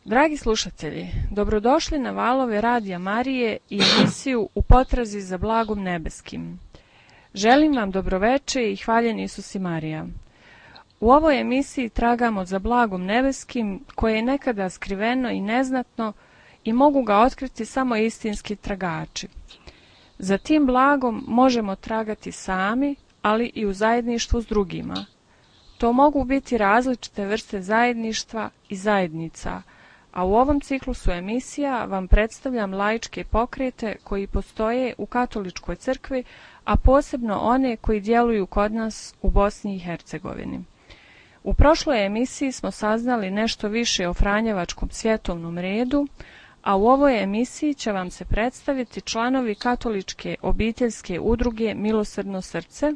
Dragi slušatelji, dobrodošli na valove Radija Marije i emisiju U potrazi za blagom nebeskim. Želim vam dobroveče i hvaljen Isus i Marija. U ovoj emisiji tragamo za blagom nebeskim koje je nekada skriveno i neznatno i mogu ga otkriti samo istinski tragači. Za tim blagom možemo tragati sami, ali i u zajedništvu s drugima. To mogu biti različite vrste zajedništva i zajednica, a u ovom ciklusu emisija vam predstavljam laičke pokrete koji postoje u katoličkoj crkvi, a posebno one koji djeluju kod nas u Bosni i Hercegovini. U prošloj emisiji smo saznali nešto više o Franjevačkom svjetovnom redu, a u ovoj emisiji će vam se predstaviti članovi katoličke obiteljske udruge Milosrdno srce.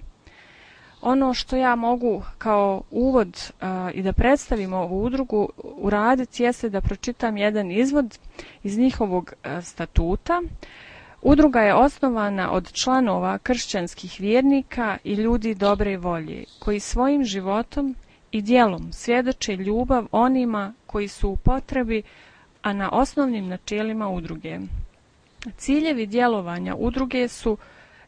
Ono što ja mogu kao uvod i da predstavim ovu udrugu uraditi jeste da pročitam jedan izvod iz njihovog statuta. Udruga je osnovana od članova kršćanskih vjernika i ljudi dobre volje, koji svojim životom i djelom svjedoče ljubav onima koji su u potrebi, a na osnovnim načelima udruge. Ciljevi djelovanja udruge su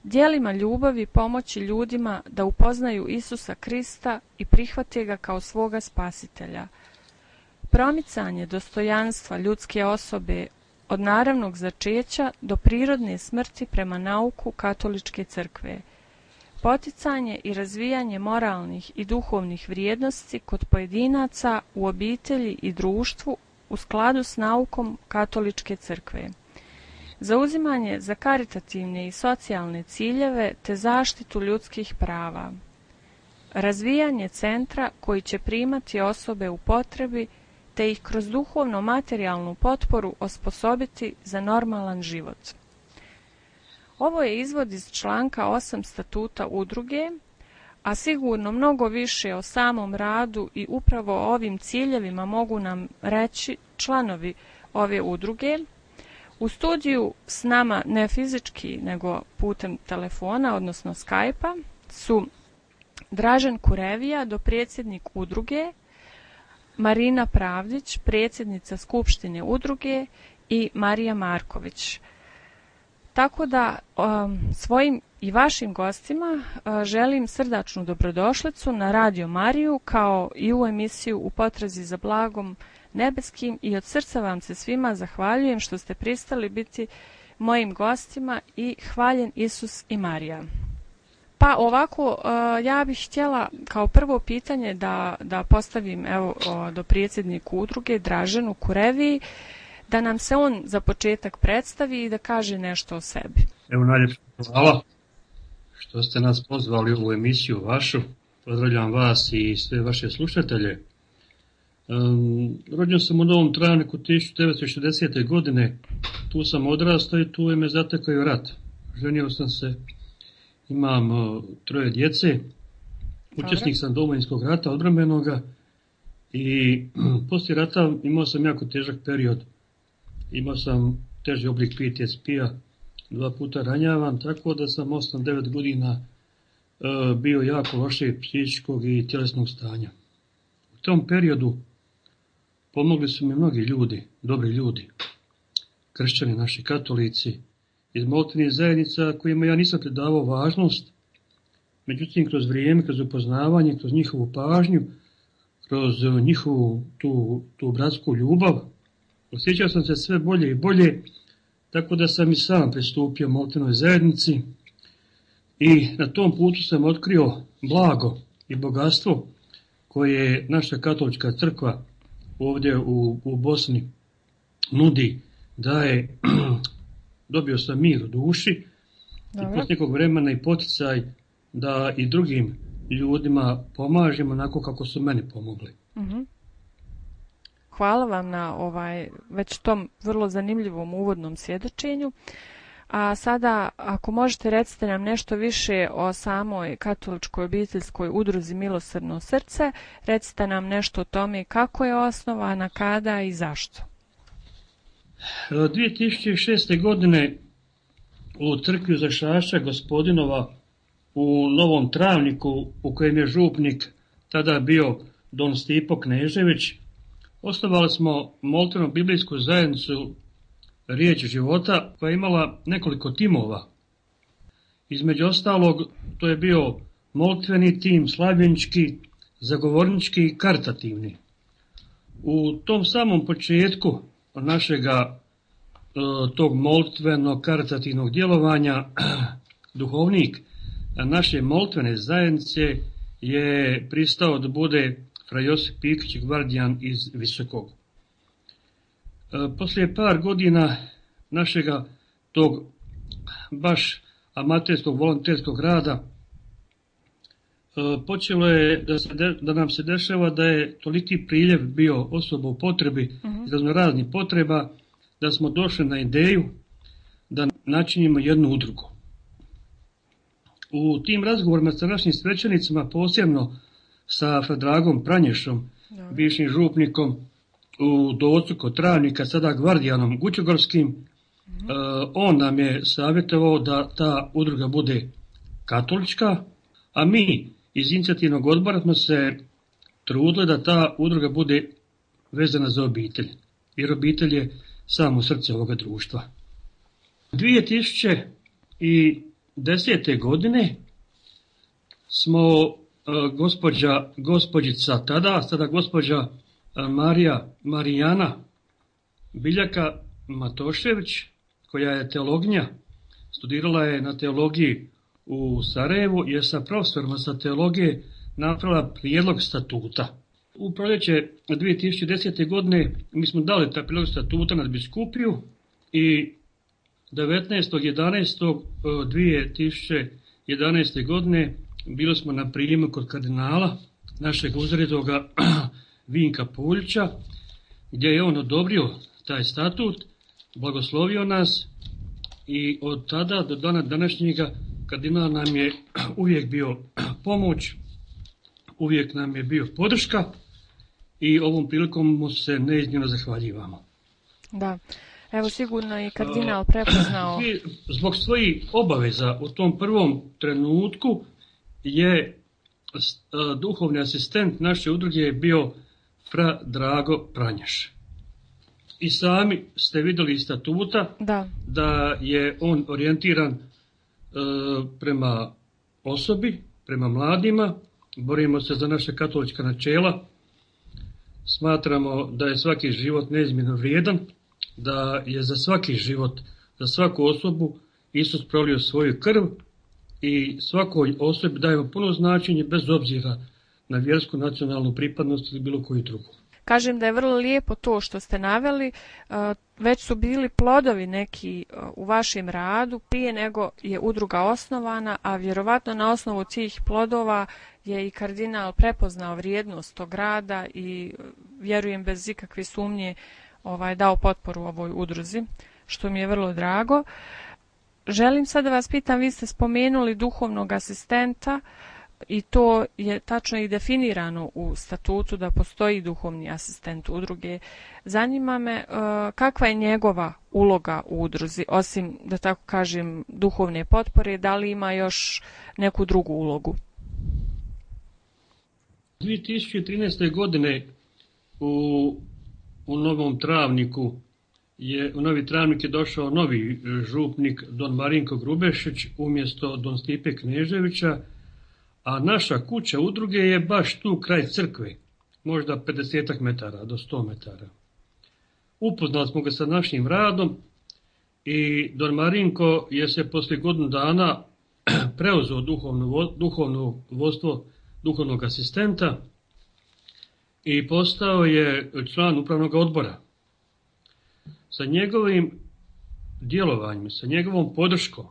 djelima ljubavi pomoći ljudima da upoznaju Isusa Krista i prihvate ga kao svoga spasitelja. Promicanje dostojanstva ljudske osobe od naravnog začeća do prirodne smrti prema nauku katoličke crkve. Poticanje i razvijanje moralnih i duhovnih vrijednosti kod pojedinaca u obitelji i društvu u skladu s naukom katoličke crkve. Zauzimanje za karitativne i socijalne ciljeve te zaštitu ljudskih prava. Razvijanje centra koji će primati osobe u potrebi te ih kroz duhovno-materijalnu potporu osposobiti za normalan život. Ovo je izvod iz članka 8 statuta udruge, a sigurno mnogo više o samom radu i upravo o ovim ciljevima mogu nam reći članovi ove udruge. U studiju s nama ne fizički, nego putem telefona, odnosno Skype-a, su Dražen Kurevija, dopredsjednik udruge, Marina Pravdić, predsjednica Skupštine udruge i Marija Marković. Tako da svojim i vašim gostima želim srdačnu dobrodošlicu na Radio Mariju kao i u emisiju U potrazi za blagom nebeskim i od srca vam se svima zahvaljujem što ste pristali biti mojim gostima i hvaljen Isus i Marija. Pa ovako, ja bih htjela kao prvo pitanje da postavim do predsjedniku udruge Draženu Kureviji, da nam se on za početak predstavi i da kaže nešto o sebi. Evo, najljepša hvala što ste nas pozvali u ovu emisiju vašu. Pozdravljam vas i sve vaše slušatelje. Rođen sam u Novom Travniku 1960. godine, tu sam odrastao i tu je me zatekao i rat. Ženio sam se, imam 3 djece, učesnik sam Domovinskog rata, odbrambenoga, i poslije rata imao sam jako težak period. Imao sam teži oblik PTSP-a, 2 puta ranjavan, tako da sam 8-9 godina bio jako loše psihičkog i tjelesnog stanja. U tom periodu pomogli su mi mnogi ljudi, dobri ljudi, kršćani, naši katolici, iz molitvenih zajednica kojima ja nisam pridavao važnost, međutim kroz vrijeme, kroz upoznavanje, kroz njihovu pažnju, kroz njihovu tu bratsku ljubav, osjećao sam se sve bolje i bolje, tako da sam i sam pristupio molitvenoj zajednici i na tom putu sam otkrio blago i bogatstvo koje naša katolička crkva ovdje u Bosni nudi, daje. Dobio sam mir u duši. Dobro. I posle nekog vremena i poticaj da i drugim ljudima pomažemo onako kako su meni pomogli. Uh-huh. Hvala vam na već tom vrlo zanimljivom uvodnom svjedočenju. A sada, ako možete, recite nam nešto više o samoj katoličkoj obiteljskoj udruzi Milosrdno srce. Recite nam nešto o tome kako je osnovana, kada i zašto. 2006. godine u crkvi Zašašća Gospodinova u Novom Travniku, u kojem je župnik tada bio don Stipo Knežević, osnovali smo molitvenu biblijsku zajednicu Riječ života koja je imala nekoliko timova. Između ostalog, to je bio molitveni tim, slavljenički, zagovornički i karitativni. U tom samom početku našega tog molitvenog karitativnog djelovanja duhovnik naše molitvene zajednice je pristao da bude fra Josip Pikić, gvardijan iz Visokog. Poslije par godina našega tog baš amaterskog, volonterskog rada počelo je da nam se dešava da je toliki priljev bio osoba u potrebi, iz raznih potreba, da smo došli na ideju da načinimo jednu udrugu. U tim razgovorima sa našim svećenicima, posebno sa Fradragom Pranješom, bivšim župnikom u Docu kod Travnika, sada gvardijanom Gućogorskim, on nam je savjetovao da ta udruga bude katolička, a mi iz inicijativnog odbora smo se trudili da ta udruga bude vezana za obitelj, jer obitelj je samo srce ovoga društva. 2010. godine smo gospođica tada, sada gospođa Marijana Biljaka Matošević, koja je teologinja, studirala je na teologiji u Sarajevu, je sa profesorima sa teologije napravila prijedlog statuta. U proljeće 2010. godine mi smo dali taj prijedlog statuta na biskupiju i 19.11.2011. godine bili smo na prijemu kod kardinala, našeg uzredoga Vinka Puljića, gdje je on odobrio taj statut, blagoslovio nas i od tada do dana današnjega kardinal nam je uvijek bio pomoć, uvijek nam je bio podrška i ovom prilikom mu se neizmjerno zahvaljivamo. Da, evo sigurno i kardinal prepoznao. Zbog svojih obaveza u tom prvom trenutku je duhovni asistent naše udruge bio fra Drago Pranješ. I sami ste vidjeli iz statuta da je on orijentiran prema osobi, prema mladima. Borimo se za naše katolička načela. Smatramo da je svaki život neizmjerno vrijedan, da je za svaki život, za svaku osobu Isus prolio svoju krv i svakoj osobi dajemo puno značenje bez obzira na vjersku, nacionalnu pripadnost ili bilo koju drugu. Kažem da je vrlo lijepo to što ste naveli, već su bili plodovi neki u vašem radu prije nego je udruga osnovana, a vjerovatno na osnovu tih plodova je i kardinal prepoznao vrijednost tog rada i vjerujem bez ikakve sumnje dao potporu ovoj udruzi, što mi je vrlo drago. Želim sad da vas pitam, vi ste spomenuli duhovnog asistenta i to je tačno i definirano u statutu da postoji duhovni asistent udruge. Zanima me kakva je njegova uloga u udruzi, osim da tako kažem duhovne potpore, da li ima još neku drugu ulogu? 2013. godine u Novom Travniku u Novi Travnik je došao novi župnik Don Marinko Grubešić umjesto Don Stipe Kneževića, a naša kuća udruge je baš tu kraj crkve, možda 50 metara do 100 metara. Upoznali smo ga sa našim radom i Don Marinko je se poslije godinu dana preuzeo duhovno vodstvo duhovnog asistenta i postao je član upravnog odbora. Sa njegovim djelovanjem, sa njegovom podrškom,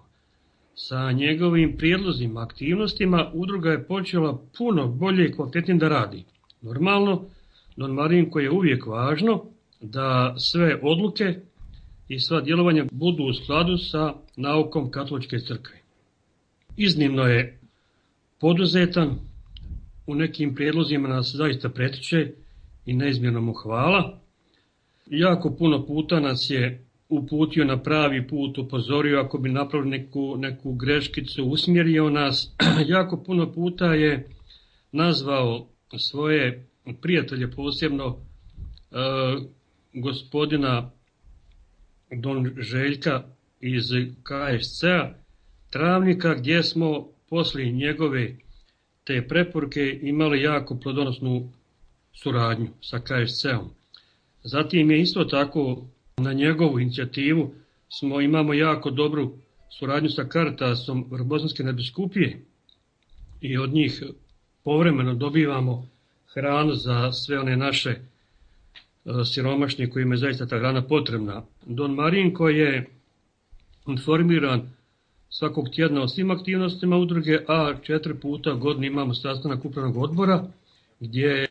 sa njegovim prijedlozima, aktivnostima, udruga je počela puno bolje i kvalitetnije da radi. Normalno, Don Marinko je uvijek važno da sve odluke i sva djelovanja budu u skladu sa naukom katoličke crkve. Iznimno je poduzetan, u nekim prijedlozima nas zaista pretiče i neizmjerno mu hvala. Jako puno puta nas je uputio na pravi put, upozorio ako bi napravili neku greškicu, usmjerio nas. Jako puno puta je nazvao svoje prijatelje, posebno gospodina Don Željka iz KSC-a Travnika, gdje smo poslije njegove te preporuke imali jako plodonosnu suradnju sa KSC-om. Zatim je isto tako na njegovu inicijativu imamo jako dobru suradnju sa Caritasom Bosanske nadbiskupije i od njih povremeno dobivamo hranu za sve one naše siromašne kojima je zaista ta hrana potrebna. Don Marinko je informiran svakog tjedna o svim aktivnostima udruge, a 4 puta godišnje imamo sastanak upravnog odbora gdje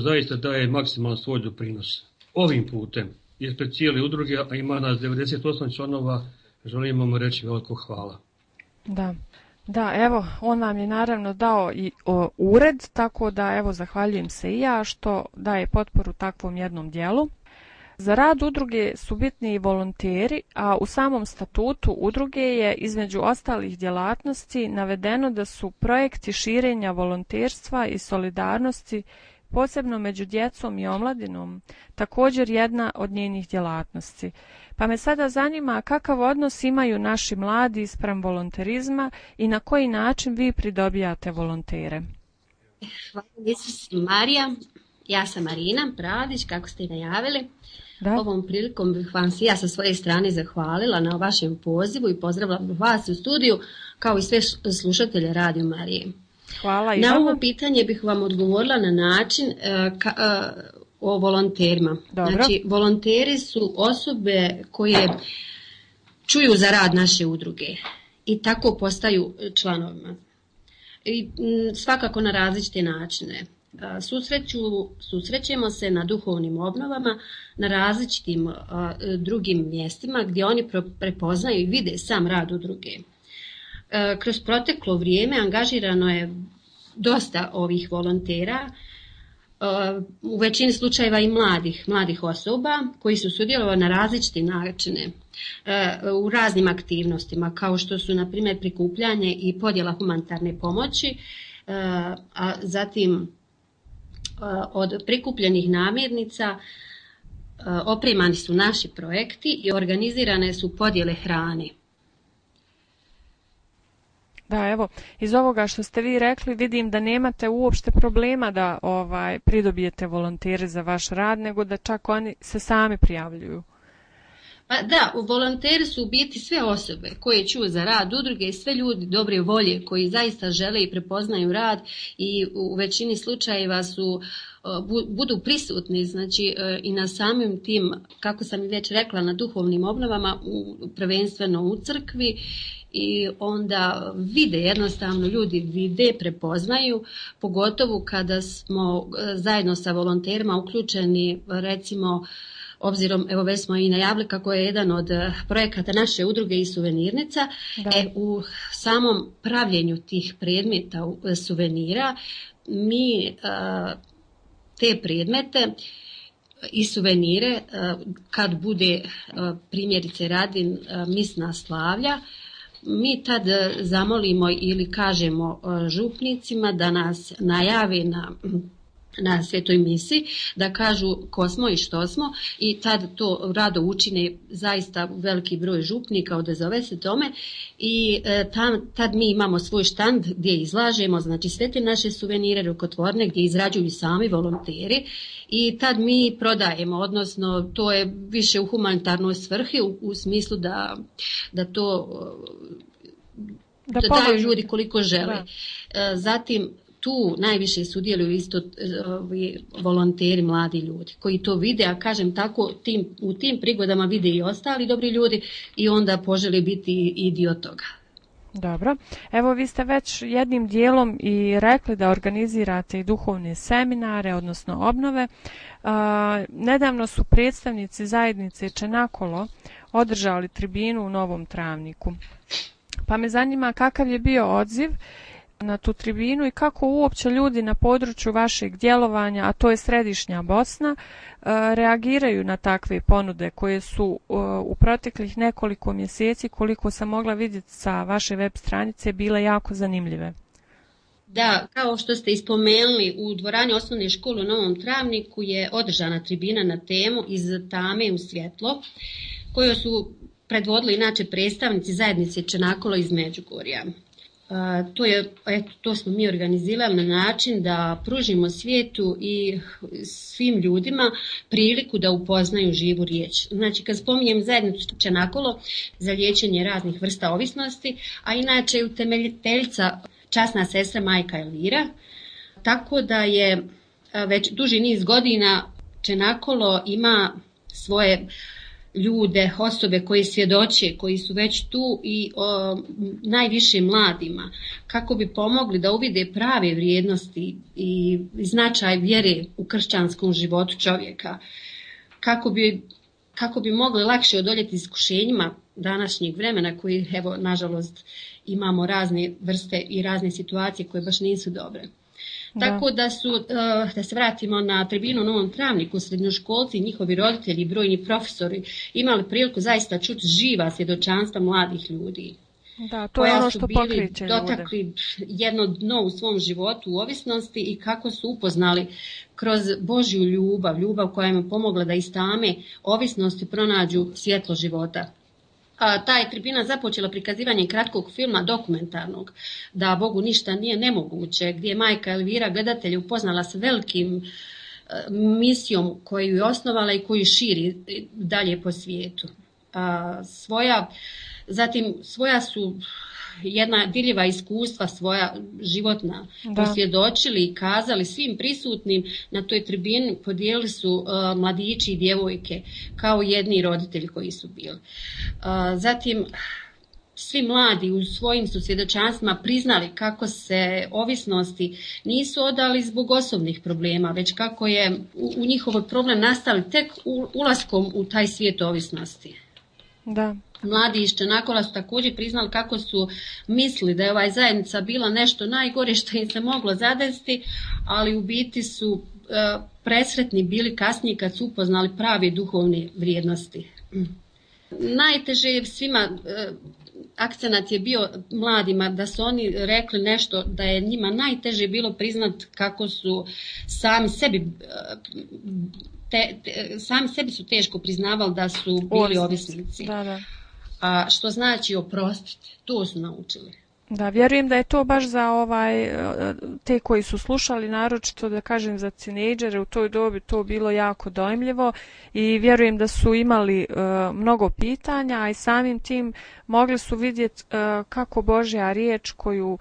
zaista daje maksimalan svoj doprinos. Ovim putem ispred cijele udruge, a ima nas 98 članova, želimo mu reći veliko hvala. Da, evo, on vam je naravno dao i ured, tako da evo zahvaljujem se i ja što daje potporu takvom jednom dijelu. Za rad udruge su bitni i volonteri, a u samom statutu udruge je između ostalih djelatnosti navedeno da su projekti širenja volonterstva i solidarnosti, posebno među djecom i omladinom, također jedna od njenih djelatnosti. Pa me sada zanima kakav odnos imaju naši mladi spram volonterizma i na koji način vi pridobijate volontere. Hvala Isus Marija, ja sam Marina Pradić, kako ste i najavili. Da. Ovom prilikom bih vam se ja sa svoje strane zahvalila na vašem pozivu i pozdravila vas u studiju, kao i sve slušatelje Radio Marije. Hvala i na vama. ovo pitanje bih vam odgovorila na način o volonterima. Dobro. Znači, volonteri su osobe koje čuju za rad naše udruge i tako postaju članovima. I svakako na različite načine. Susrećemo se na duhovnim obnovama, na različitim drugim mjestima gdje oni prepoznaju i vide sam rad udruge. Kroz proteklo vrijeme angažirano je dosta ovih volontera, u većini slučajeva i mladih osoba koji su sudjelovali na različite načine u raznim aktivnostima, kao što su na primjer prikupljanje i podjela humanitarne pomoći, a zatim od prikupljenih namirnica opremani su naši projekti i organizirane su podjele hrane. Da, evo, iz ovoga što ste vi rekli vidim da nemate uopšte problema da pridobijete volontere za vaš rad, nego da čak oni se sami prijavljuju. Pa da, volonteri su u biti sve osobe koje čuju za rad udruge i sve ljudi dobre volje koji zaista žele i prepoznaju rad i u većini slučajeva budu prisutni, znači i na samim tim, kako sam i već rekla, na duhovnim obnovama, prvenstveno u crkvi, i onda jednostavno ljudi vide, prepoznaju, pogotovo kada smo zajedno sa volonterima uključeni, recimo, obzirom, evo već smo i najavili kako je jedan od projekata naše udruge i suvenirnica, u samom pravljenju tih predmeta suvenira mi te predmete i suvenire, kad bude primjerice radi misna slavlja, mi tad zamolimo ili kažemo župnicima da nas najave na svetoj misi, da kažu ko smo i što smo, i tad to rado učine zaista veliki broj župnika, odazove se tome, i tad mi imamo svoj štand gdje izlažemo, znači sve te naše suvenire rukotvorne gdje izrađuju sami volonteri, i tad mi prodajemo, odnosno to je više u humanitarnoj svrhi, u smislu da to da daju ljudi koliko žele. Zatim tu najviše sudjeluju isto volonteri, mladi ljudi koji to vide, a kažem tako, u tim prigodama vide i ostali dobri ljudi i onda požele biti i dio toga. Dobro. Evo, vi ste već jednim dijelom i rekli da organizirate i duhovne seminare, odnosno obnove. Nedavno su predstavnici zajednice Čenakolo održali tribinu u Novom Travniku. Pa me zanima kakav je bio odziv na tu tribinu i kako uopće ljudi na području vašeg djelovanja, a to je središnja Bosna, reagiraju na takve ponude koje su u proteklih nekoliko mjeseci, koliko sam mogla vidjeti sa vaše web stranice, bile jako zanimljive. Da, kao što ste ispomenuli, u dvorani osnovne škole u Novom Travniku je održana tribina na temu Iz tame u svjetlo, koju su predvodili inače predstavnici zajednice Čenakolo iz Međugorja. To smo mi organizirali na način da pružimo svijetu i svim ljudima priliku da upoznaju živu riječ. Znači, kad spominjem zajednicu Čenakolo za liječenje raznih vrsta ovisnosti, a inače je utemeljiteljica časna sestra majka Elvira, tako da je već duži niz godina Čenakolo ima svoje ljude, osobe koji svjedoče, koji su već tu i najviše mladima, kako bi pomogli da uvide prave vrijednosti i značaj vjere u kršćanskom životu čovjeka, kako bi mogli lakše odoljeti iskušenjima današnjeg vremena koji, evo, nažalost, imamo razne vrste i razne situacije koje baš nisu dobre. Da. Tako da se vratimo na tribinu u Novom Travniku, srednjoškolci, njihovi roditelji i brojni profesori imali priliku zaista čuti živa svjedočanstva mladih ljudi. Da, to je ono što pokreće ljude. Dotakli jedno dno u svom životu u ovisnosti i kako su upoznali kroz Božju ljubav koja im je pomogla da iz tame ovisnosti pronađu svjetlo života. Ta je tribina započela prikazivanjem kratkog filma dokumentarnog Da Bogu ništa nije nemoguće, gdje je majka Elvira gledatelje upoznala s velikim misijom koju je osnovala i koju širi dalje po svijetu. Svoja su jedna dirljiva iskustva, svoja životna, posvjedočili i kazali svim prisutnim na toj tribini, podijelili su mladići i djevojke kao jedni roditelji koji su bili. Zatim, svi mladi u svojim su svjedočanstvima priznali kako se ovisnosti nisu odali zbog osobnih problema, već kako je u njihovoj problem nastali tek ulaskom u taj svijet ovisnosti. Da. Mladi iz Čenakola su također priznali kako su mislili da je ova zajednica bila nešto najgore što im se moglo zadesiti, ali u biti su presretni bili kasnije kad su upoznali prave duhovne vrijednosti. Najteže je svima, akcenat je bio mladima da su oni rekli nešto, da je njima najteže bilo priznat kako su sami sebi su teško priznavali da su bili ovisnici. Da. A što znači oprostiti, to su naučili. Da, vjerujem da je to baš za te koji su slušali, naročito da kažem za tinejdžere u toj dobi to bilo jako dojmljivo i vjerujem da su imali mnogo pitanja, a i samim tim mogli su vidjeti kako Božja riječ koju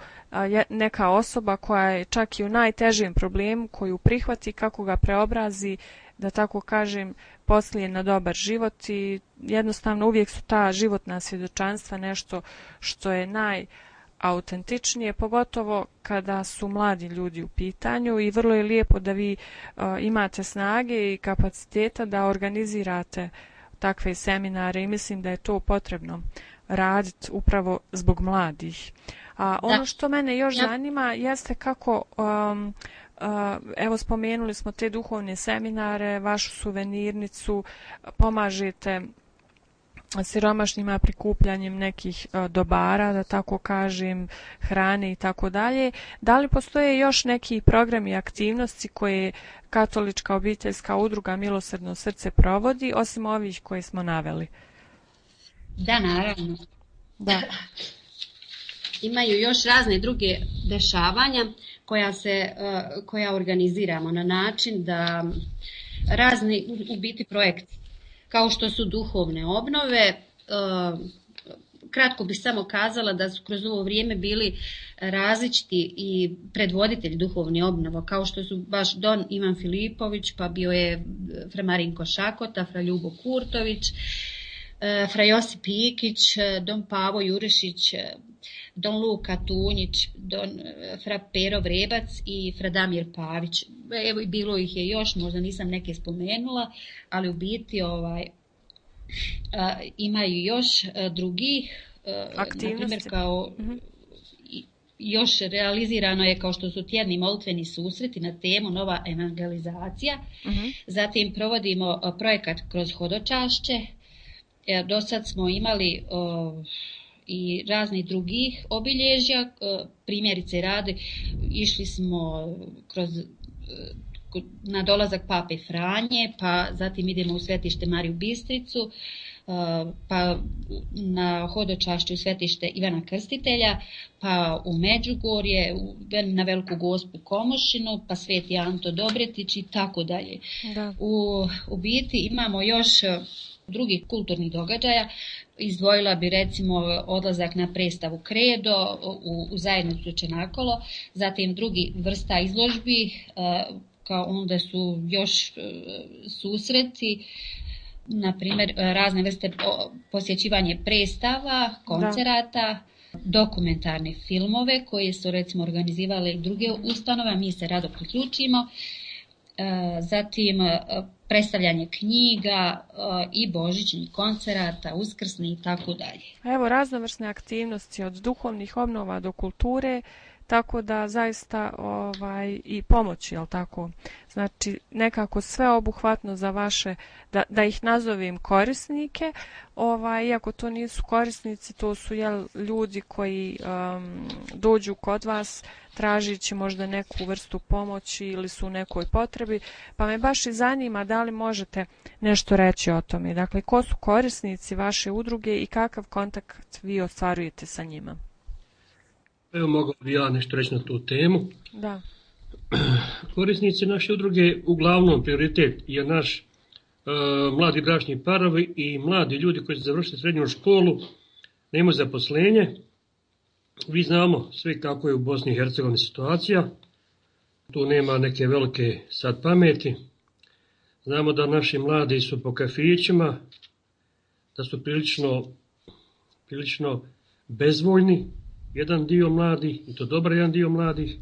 neka osoba koja je čak i u najtežem problemu, koju prihvati, kako ga preobrazi, da tako kažem, poslije na dobar život i jednostavno uvijek su ta životna svjedočanstva nešto što je najautentičnije, pogotovo kada su mladi ljudi u pitanju i vrlo je lijepo da vi imate snage i kapaciteta da organizirate takve seminare i mislim da je to potrebno raditi upravo zbog mladih. A ono što mene još zanima jeste kako evo spomenuli smo te duhovne seminare, vašu suvenirnicu, pomažete siromašnjima prikupljanjem nekih dobara, da tako kažem, hrane i tako dalje. Da li postoje još neki programi i aktivnosti koje Katolička obiteljska udruga Milosrdno srce provodi, osim ovih koje smo naveli? Da, naravno. Da. Imaju još razne druge dešavanja koja organiziramo na način da razni u biti projekti, kao što su duhovne obnove. Kratko bih samo kazala da su kroz ovo vrijeme bili različiti i predvoditelji duhovne obnove, kao što su baš Don Ivan Filipović, pa bio je fra Marinko Šakota, fra Ljubo Kurtović, fra Josip Ikić, Don Pavo Jurišić, Don Luka Tunjić, fra Pero Vrebac i fra Damir Pavić. Evo, bilo ih je još, možda nisam neke spomenula, ali u biti imaju još drugih aktivnosti. Na primjer, kao još realizirano je kao što su tjedni molitveni susreti na temu Nova evangelizacija. Zatim provodimo projekat kroz hodočašće. Do sad smo imali i raznih drugih obilježja. Primjerice radi, išli smo na dolazak Pape Franje, pa zatim idemo u svetište Mariju Bistricu, pa na hodočašće u svetište Ivana Krstitelja, pa u Međugorje, na Veliku Gospu Komošinu, pa Sveti Anto Dobretić i tako dalje. U biti imamo još drugih kulturnih događaja. Izdvojila bi recimo odlazak na predstavu Kredo u zajednicu Čenakolo, zatim drugi vrsta izložbi, kao onda su još susreti, na primjer razne vrste posjećivanje predstava, koncerata, dokumentarne filmove koje su recimo organizirale i druge ustanove, mi se rado priključimo, zatim predstavljanje knjiga i božićnih koncerata, uskrsni i tako dalje. Evo raznovrsne aktivnosti od duhovnih obnova do kulture, tako da zaista i pomoći, jel tako? Znači nekako sveobuhvatno za vaše, da ih nazovem korisnike, iako to nisu korisnici, to su ljudi koji dođu kod vas tražići možda neku vrstu pomoći ili su u nekoj potrebi, pa me baš i zanima da li možete nešto reći o tome. Dakle, ko su korisnici vaše udruge i kakav kontakt vi ostvarujete sa njima? Evo, mogao bi ja nešto reći na tu temu. Da. Korisnici naše udruge, uglavnom prioritet je naš mladi bračni parovi i mladi ljudi koji su završili srednju školu, nemaju zaposlenje. Vi znamo sve kako je u Bosni i Hercegovini situacija. Tu nema neke velike sad pameti. Znamo da naši mladi su po kafićima, da su prilično bezvoljni. Jedan dio mladih, i to dobar jedan dio mladih,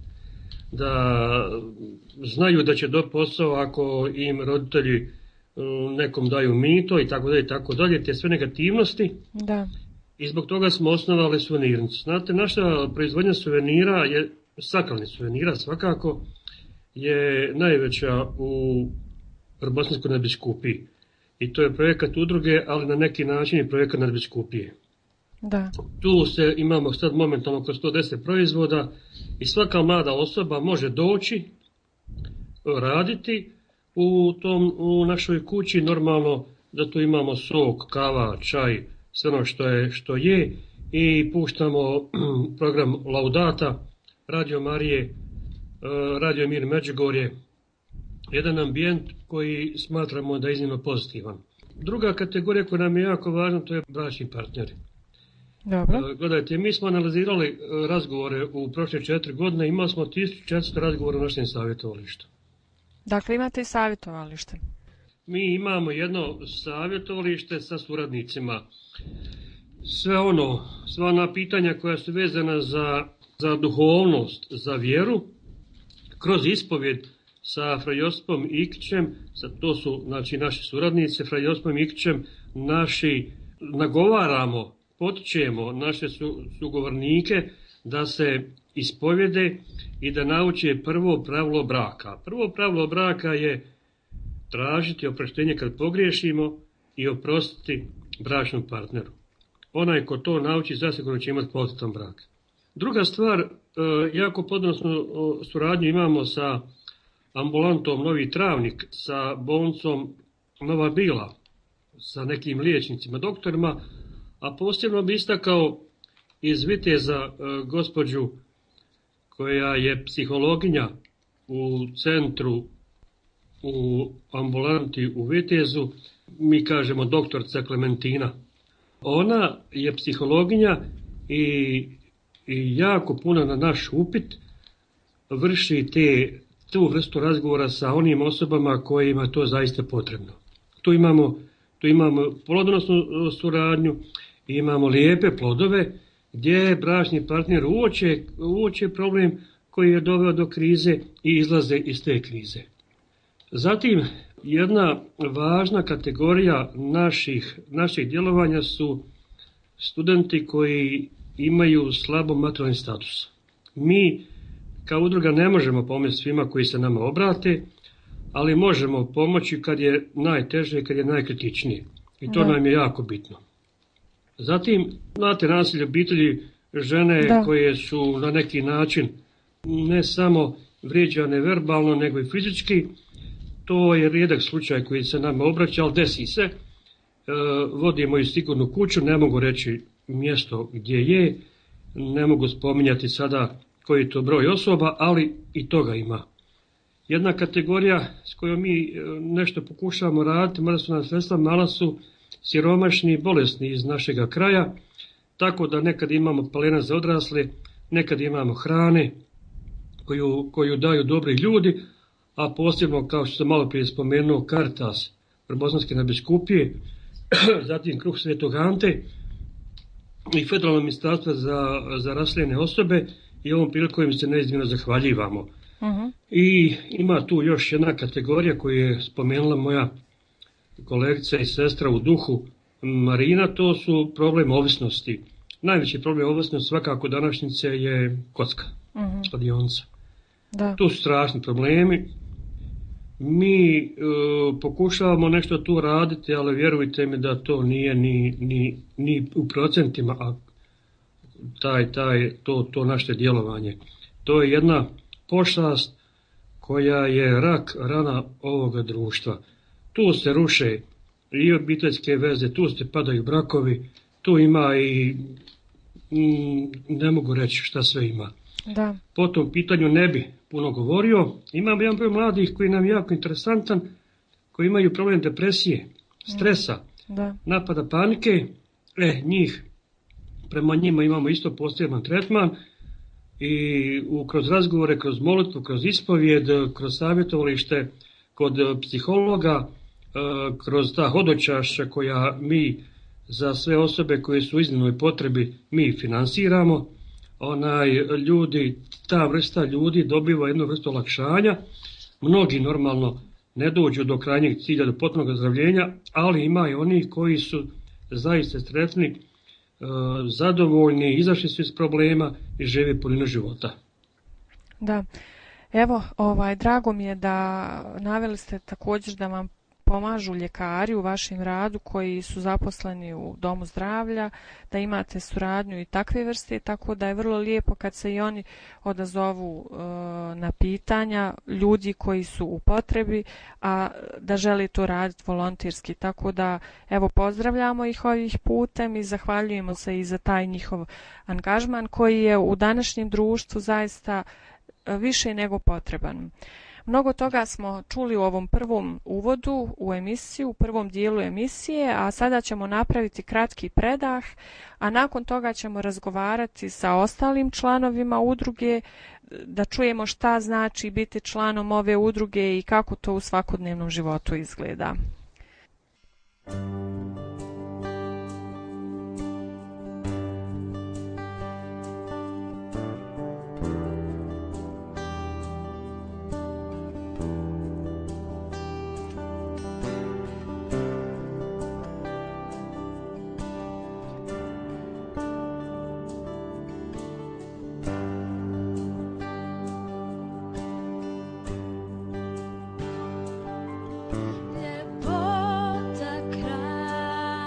da znaju da će dobiti posao ako im roditelji nekom daju mito i tako dalje, te sve negativnosti. Da. I zbog toga smo osnovali suvenirnicu. Znate, naša proizvodnja suvenira, sakralnih suvenira svakako, je najveća u Bosanskoj nadbiskupiji. I to je projekat udruge, ali na neki način je projekat nadbiskupije. Da. Tu imamo sad momentalno oko 110 proizvoda i svaka mlada osoba može doći, raditi u našoj kući, normalno da tu imamo sok, kava, čaj, sve ono što je i puštamo program Laudata, Radio Marije, Radio Mir Međugorje, jedan ambijent koji smatramo da je iznimno pozitivan. Druga kategorija koja nam je jako važna, to je bračni partneri. Dobro. Gledajte, mi smo analizirali razgovore u prošle 4 godine, imali smo 1400 razgovora u našem savjetovalištu. Dakle, imate i savjetovalište? Mi imamo jedno savjetovalište sa suradnicima. Sva ona pitanja koja su vezana za duhovnost, za vjeru, kroz ispovjed sa Fra Josipom Ikićem, to su znači naši suradnici, Fra Josipom Ikićem, nagovaramo, potičemo naše sugovornike da se ispovjede i da nauče prvo pravilo braka. Prvo pravilo braka je tražiti oproštenje kad pogriješimo i oprostiti bračnom partneru. Onaj ko to nauči, zasigurno će imati kvalitetan brak. Druga stvar, jako podnosnu suradnju imamo sa ambulantom Novi Travnik, sa bolnicom Nova Bila, sa nekim liječnicima, doktorima, a posebno bi istakao iz Viteza gospođu koja je psihologinja u centru, u ambulanti u Vitezu, mi kažemo doktorca Klementina. Ona je psihologinja i jako puno na naš upit vrši tu vrstu razgovora sa onim osobama kojima to zaista potrebno. Tu imamo plodonosnu suradnju, imamo lijepe plodove gdje bračni partner uoče problem koji je doveo do krize i izlaze iz te krize. Zatim, jedna važna kategorija naših djelovanja su studenti koji imaju slabo materijalni status. Mi kao udruga ne možemo pomoći svima koji se nama obrate, ali možemo pomoći kad je najteže i kad je najkritičnije. I to nam je jako bitno. Zatim, znate, nasilje obitelji, žene koje su na neki način ne samo vrijeđane verbalno, nego i fizički, to je rijedak slučaj koji se nama obraća, ali desi se. Vodimo i sigurnu kuću, ne mogu reći mjesto gdje je, ne mogu spominjati sada koji je to broj osoba, ali i toga ima. Jedna kategorija s kojom mi nešto pokušavamo raditi, mada su nam sredstva mala, su siromašni i bolesni iz našega kraja, tako da nekad imamo pelena za odrasle, nekad imamo hrane koju daju dobri ljudi, a posebno, kao što sam malo prije spomenuo, Caritas Bosanske nadbiskupije, zatim Kruh Svetog Ante i Federalno ministarstvo za raseljene osobe, i ovom prilikom im se neizmjerno zahvaljivamo. I ima tu još jedna kategorija koju je spomenula moja kolegica i sestra u duhu Marina, to su problem ovisnosti. Najveći problem ovisnosti svakako današnjice je kocka, kladionica. Tu su strašni problemi. Mi pokušavamo nešto tu raditi, ali vjerujte mi da to nije ni u procentima, a to naše djelovanje. To je jedna pošast koja je rak rana ovoga društva. Tu se ruše i obiteljske veze, tu se padaju brakovi, tu ima i ne mogu reći šta sve ima. Da. Po tom pitanju ne bi puno govorio. Imamo jedan broj mladih koji nam je jako interesantan, koji imaju problem depresije, stresa, napada panike. Prema njima imamo isto poseban tretman i kroz razgovore, kroz molitvu, kroz ispovijed, kroz savjetovalište kod psihologa, kroz ta hodočašća koja mi za sve osobe koje su u iznimnoj potrebi mi finansiramo, ta vrsta ljudi dobiva jednu vrstu olakšanja. Mnogi normalno ne dođu do krajnjeg cilja, do potpunog ozdravljenja, ali ima i oni koji su zaista sretni, zadovoljni, izašli su iz problema i žive puninu života. Da, evo, drago mi je da naveli ste također da vam pomažu ljekari u vašem radu koji su zaposleni u domu zdravlja, da imate suradnju i takve vrste, tako da je vrlo lijepo kad se i oni odazovu na pitanja ljudi koji su u potrebi, a da žele to raditi volonterski. Tako da, evo, pozdravljamo ih ovih putem i zahvaljujemo se i za taj njihov angažman koji je u današnjem društvu zaista više nego potreban. Mnogo toga smo čuli u ovom prvom uvodu u emisiju, u prvom dijelu emisije, a sada ćemo napraviti kratki predah, a nakon toga ćemo razgovarati sa ostalim članovima udruge, da čujemo šta znači biti članom ove udruge i kako to u svakodnevnom životu izgleda. Ljepota kraja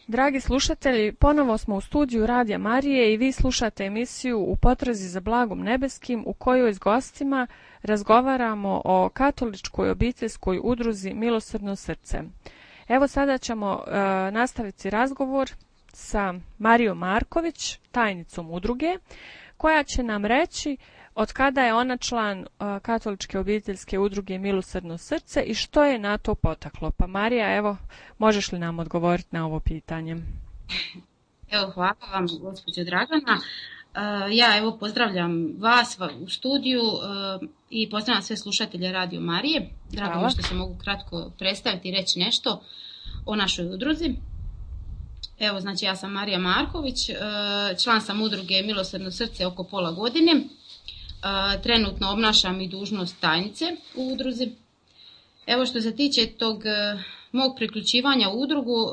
Dragi slušatelji, ponovo smo u studiju Radija Marije i vi slušate emisiju U potrazi za blagom nebeskim u kojoj s gostima razgovaramo o katoličkoj obiteljskoj udruzi Milosrdno srce. Evo sada ćemo nastaviti razgovor sa Marijom Marković, tajnicom udruge, koja će nam reći od kada je ona član katoličke obiteljske udruge Milosrdno srce i što je na to potaklo. Pa Marija, evo, možeš li nam odgovoriti na ovo pitanje? Evo, hvala vam, gospođo Dragana. Ja evo pozdravljam vas u studiju i pozdravljam sve slušatelje Radio Marije. Drago mi što se mogu kratko predstaviti i reći nešto o našoj udruzi. Evo, znači ja sam Marija Marković, član sam udruge Milosrdno srce oko pola godine. Trenutno obnašam i dužnost tajnice u udruzi. Evo, što se tiče tog mog priključivanja u udrugu,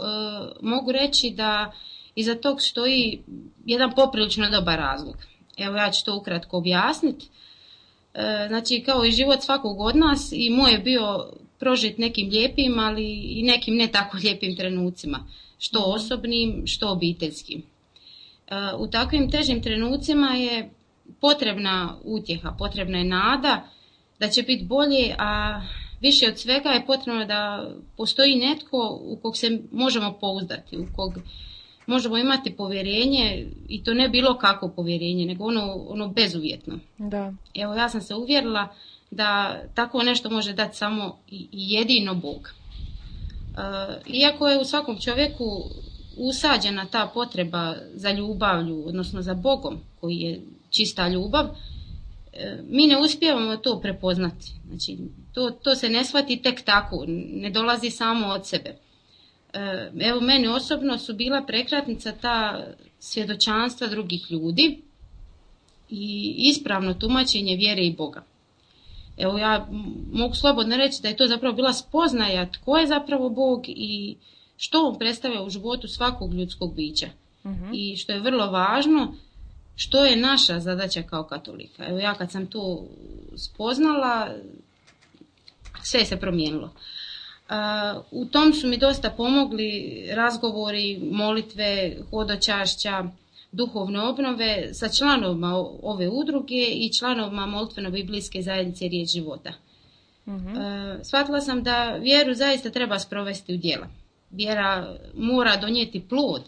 mogu reći da iza tog stoji jedan poprilično dobar razlog. Evo, ja ću to ukratko objasniti. Znači, kao i život svakog od nas, i moj je bio prožit nekim lijepim, ali i nekim ne tako lijepim trenucima, što osobnim, što obiteljskim. U takvim težim trenucima je potrebna utjeha, potrebna je nada da će biti bolje, a više od svega je potrebno da postoji netko u kog se možemo pouzdati, u kog možemo imati povjerenje, i to ne bilo kakvo povjerenje, nego ono bezuvjetno. Da. Evo, ja sam se uvjerila da tako nešto može dati samo i jedino Bog. Iako je u svakom čovjeku usađena ta potreba za ljubavlju, odnosno za Bogom koji je čista ljubav, mi ne uspijevamo to prepoznati. Znači, to se ne shvati tek tako, ne dolazi samo od sebe. Evo, meni osobno su bila prekretnica ta svjedočanstva drugih ljudi i ispravno tumačenje vjere i Boga. Evo, ja mogu slobodno reći da je to zapravo bila spoznaja tko je zapravo Bog i što on predstavlja u životu svakog ljudskog bića. I što je vrlo važno, što je naša zadaća kao katolika. Evo, ja kad sam to spoznala, sve se promijenilo. U tom su mi dosta pomogli razgovori, molitve, hodočašća, duhovne obnove sa članovima ove udruge i članovima molitveno-biblijske zajednice Riječ života. Shvatila sam da vjeru zaista treba sprovesti u djela. Vjera mora donijeti plod.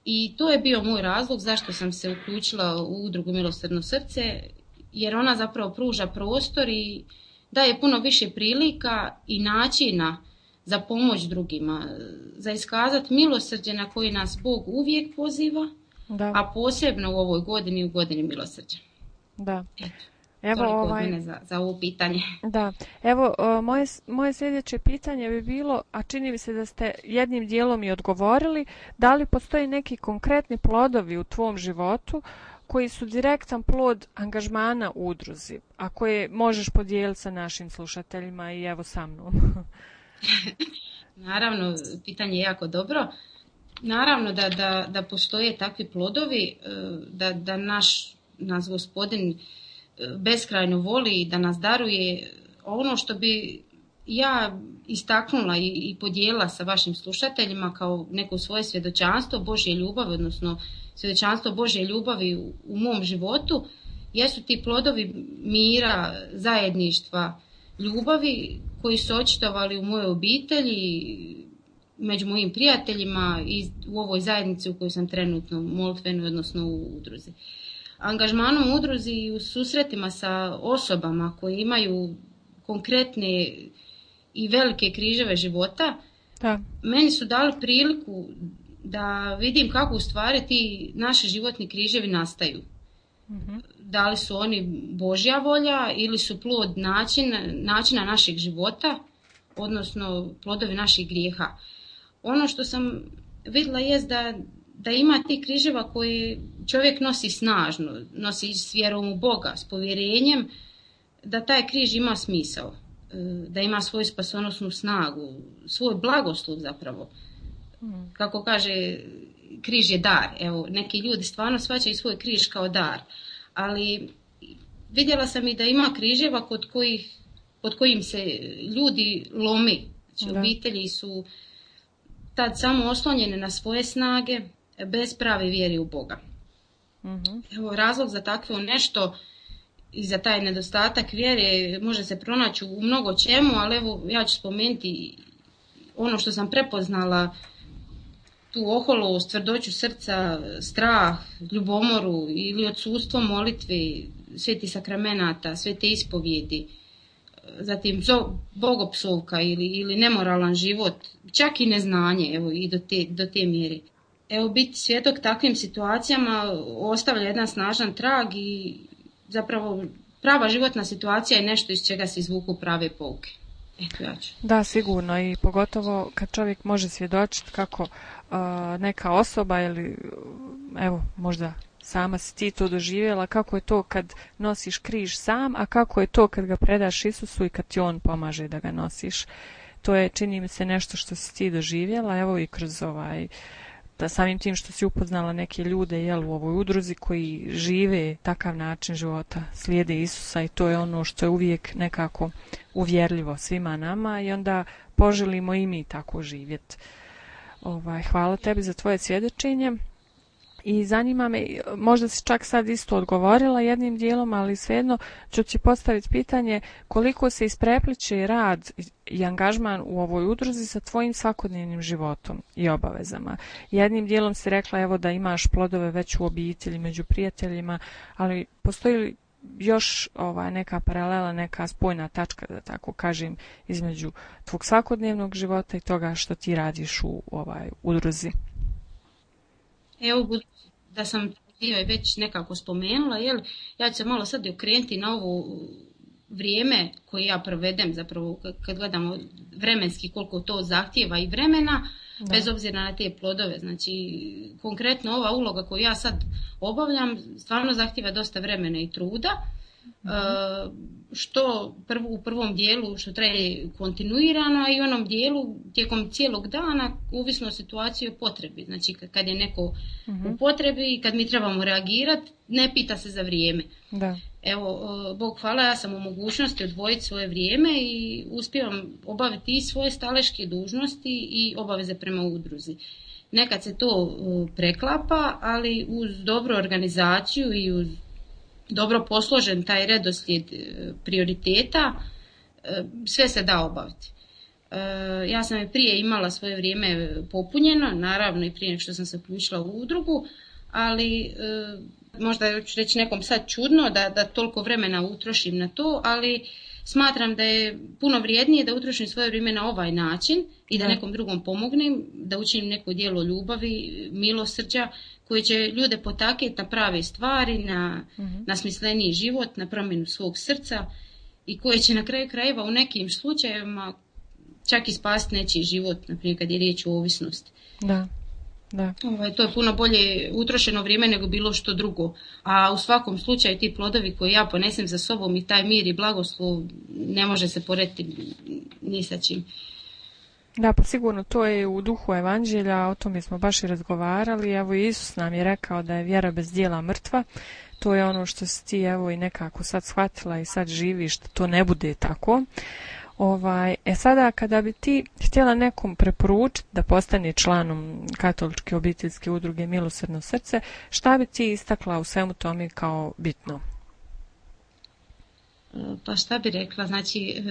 I to je bio moj razlog zašto sam se uključila u udrugu Milosrdno srce, jer ona zapravo pruža prostor i daje puno više prilika i načina za pomoć drugima, za iskazati milosrđe na koji nas Bog uvijek poziva, a posebno u ovoj godini, u godini milosrđa. Da. Evo, toliko od mene za ovo pitanje. Da, evo, moje sljedeće pitanje bi bilo, a čini mi se da ste jednim dijelom i odgovorili, da li postoji neki konkretni plodovi u tvom životu koji su direktan plod angažmana u udruzi, a koje možeš podijeliti sa našim slušateljima i evo sa mnom? Naravno, pitanje je jako dobro. Naravno da postoje takvi plodovi, da nas Gospodin beskrajno voli i da nas daruje. Ono što bi ja istaknula i podijelila sa vašim slušateljima kao neko svoje svjedočanstvo Božje ljubavi, odnosno svjedočanstvo Božje ljubavi u mom životu, jesu ti plodovi mira, zajedništva, ljubavi koji su očitovali u mojoj obitelji, među mojim prijateljima i u ovoj zajednici u kojoj sam trenutno molitvenoj, odnosno u udruzi. Angažmanom u udruzi i u susretima sa osobama koje imaju konkretne i velike križeve života, Da. meni su dali priliku da vidim kako u stvari ti naši životni križevi nastaju. Da li su oni Božja volja ili su plod načina našeg života, odnosno plodovi naših grijeha. Ono što sam vidjela jest da ima ti križeva koje čovjek nosi snažno, nosi s vjerom u Boga, s povjerenjem, da taj križ ima smisao, da ima svoju spasonosnu snagu, svoj blagoslov zapravo. Kako kaže, križ je dar. Evo, neki ljudi stvarno shvaćaju svoj križ kao dar, ali vidjela sam i da ima križeva pod kojim se ljudi lomi. Znači, obitelji su tad samo oslonjene na svoje snage, bez prave vjere u Boga. Evo, razlog za takvo nešto i za taj nedostatak vjere može se pronaći u mnogo čemu, ali evo, ja ću spomenuti ono što sam prepoznala, tu oholost, tvrdoću srca, strah, ljubomoru ili odsustvo molitve, sveti sakramenata, svete ispovjedi, zatim bogopsovka ili nemoralan život, čak i neznanje, evo, i do te mjere. Evo, biti svjedok takvim situacijama ostavlja jedan snažan trag i zapravo prava životna situacija je nešto iz čega se izvuku prave pouke. Eto, ja ću. Da, sigurno, i pogotovo kad čovjek može svjedočiti kako neka osoba ili evo možda sama si ti to doživjela, kako je to kad nosiš križ sam, a kako je to kad ga predaš Isusu i kad ti on pomaže da ga nosiš. To je, čini mi se, nešto što si ti doživjela, evo i kroz da samim tim što si upoznala neke ljude u ovoj udruzi koji žive takav način života, slijede Isusa, i to je ono što je uvijek nekako uvjerljivo svima nama i onda poželimo i mi tako živjeti. Hvala tebi za tvoje svjedočenje. I zanima me, možda si čak sad isto odgovorila jednim dijelom, ali svejedno ću ti postaviti pitanje koliko se isprepliče rad i angažman u ovoj udruzi sa tvojim svakodnevnim životom i obavezama. Jednim dijelom si rekla evo da imaš plodove već u obitelji, među prijateljima, ali postoji li još neka paralela, neka spojna tačka, da tako kažem, između tvog svakodnevnog života i toga što ti radiš u udruzi? Evo, da sam već nekako spomenula, ja ću se malo sad okrenuti na ovo vrijeme koje ja provedem, zapravo kad gledamo vremenski koliko to zahtjeva i vremena, bez obzira na te plodove. Znači, konkretno ova uloga koju ja sad obavljam stvarno zahtjeva dosta vremena i truda, što u prvom dijelu što traje kontinuirano, a i u onom dijelu tijekom cijelog dana, ovisno o situaciji o potrebi. Znači, kad je neko u potrebi i kad mi trebamo reagirati, ne pita se za vrijeme. Da. Evo, Bog hvala, ja sam u mogućnosti odvojiti svoje vrijeme i uspijevam obaviti i svoje staleške dužnosti i obaveze prema udruzi. Nekad se to preklapa, ali uz dobru organizaciju i uz dobro posložen taj redoslijed prioriteta, sve se da obaviti. Ja sam i prije imala svoje vrijeme popunjeno, naravno i prije nego što sam se uključila u udrugu, ali možda ću reći nekom sad čudno da toliko vremena utrošim na to, ali smatram da je puno vrijednije da utrošim svoje vrijeme na ovaj način i da nekom drugom pomognem, da učinim neko djelo ljubavi, milosrđa, koji će ljude potaknuti na prave stvari, na smisleniji život, na promjenu svog srca i koje će na kraju krajeva u nekim slučajevima čak i spasiti nečiji život, naprimjer kad je riječ o ovisnosti. Da. To je puno bolje utrošeno vrijeme nego bilo što drugo. A u svakom slučaju ti plodovi koje ja ponesem za sobom i taj mir i blagoslov ne može se porediti ni sa čim. Da, pa sigurno to je u duhu evanđelja, o tome smo baš i razgovarali. Evo, Isus nam je rekao da je vjera bez djela mrtva. To je ono što si ti evo i nekako sad shvatila i sad živiš, da to ne bude tako. Sada kada bi ti htjela nekom preporučiti da postane članom katoličke obiteljske udruge Milosrdno srce, šta bi ti istakla u svemu tome kao bitno? Pa šta bi rekla, znači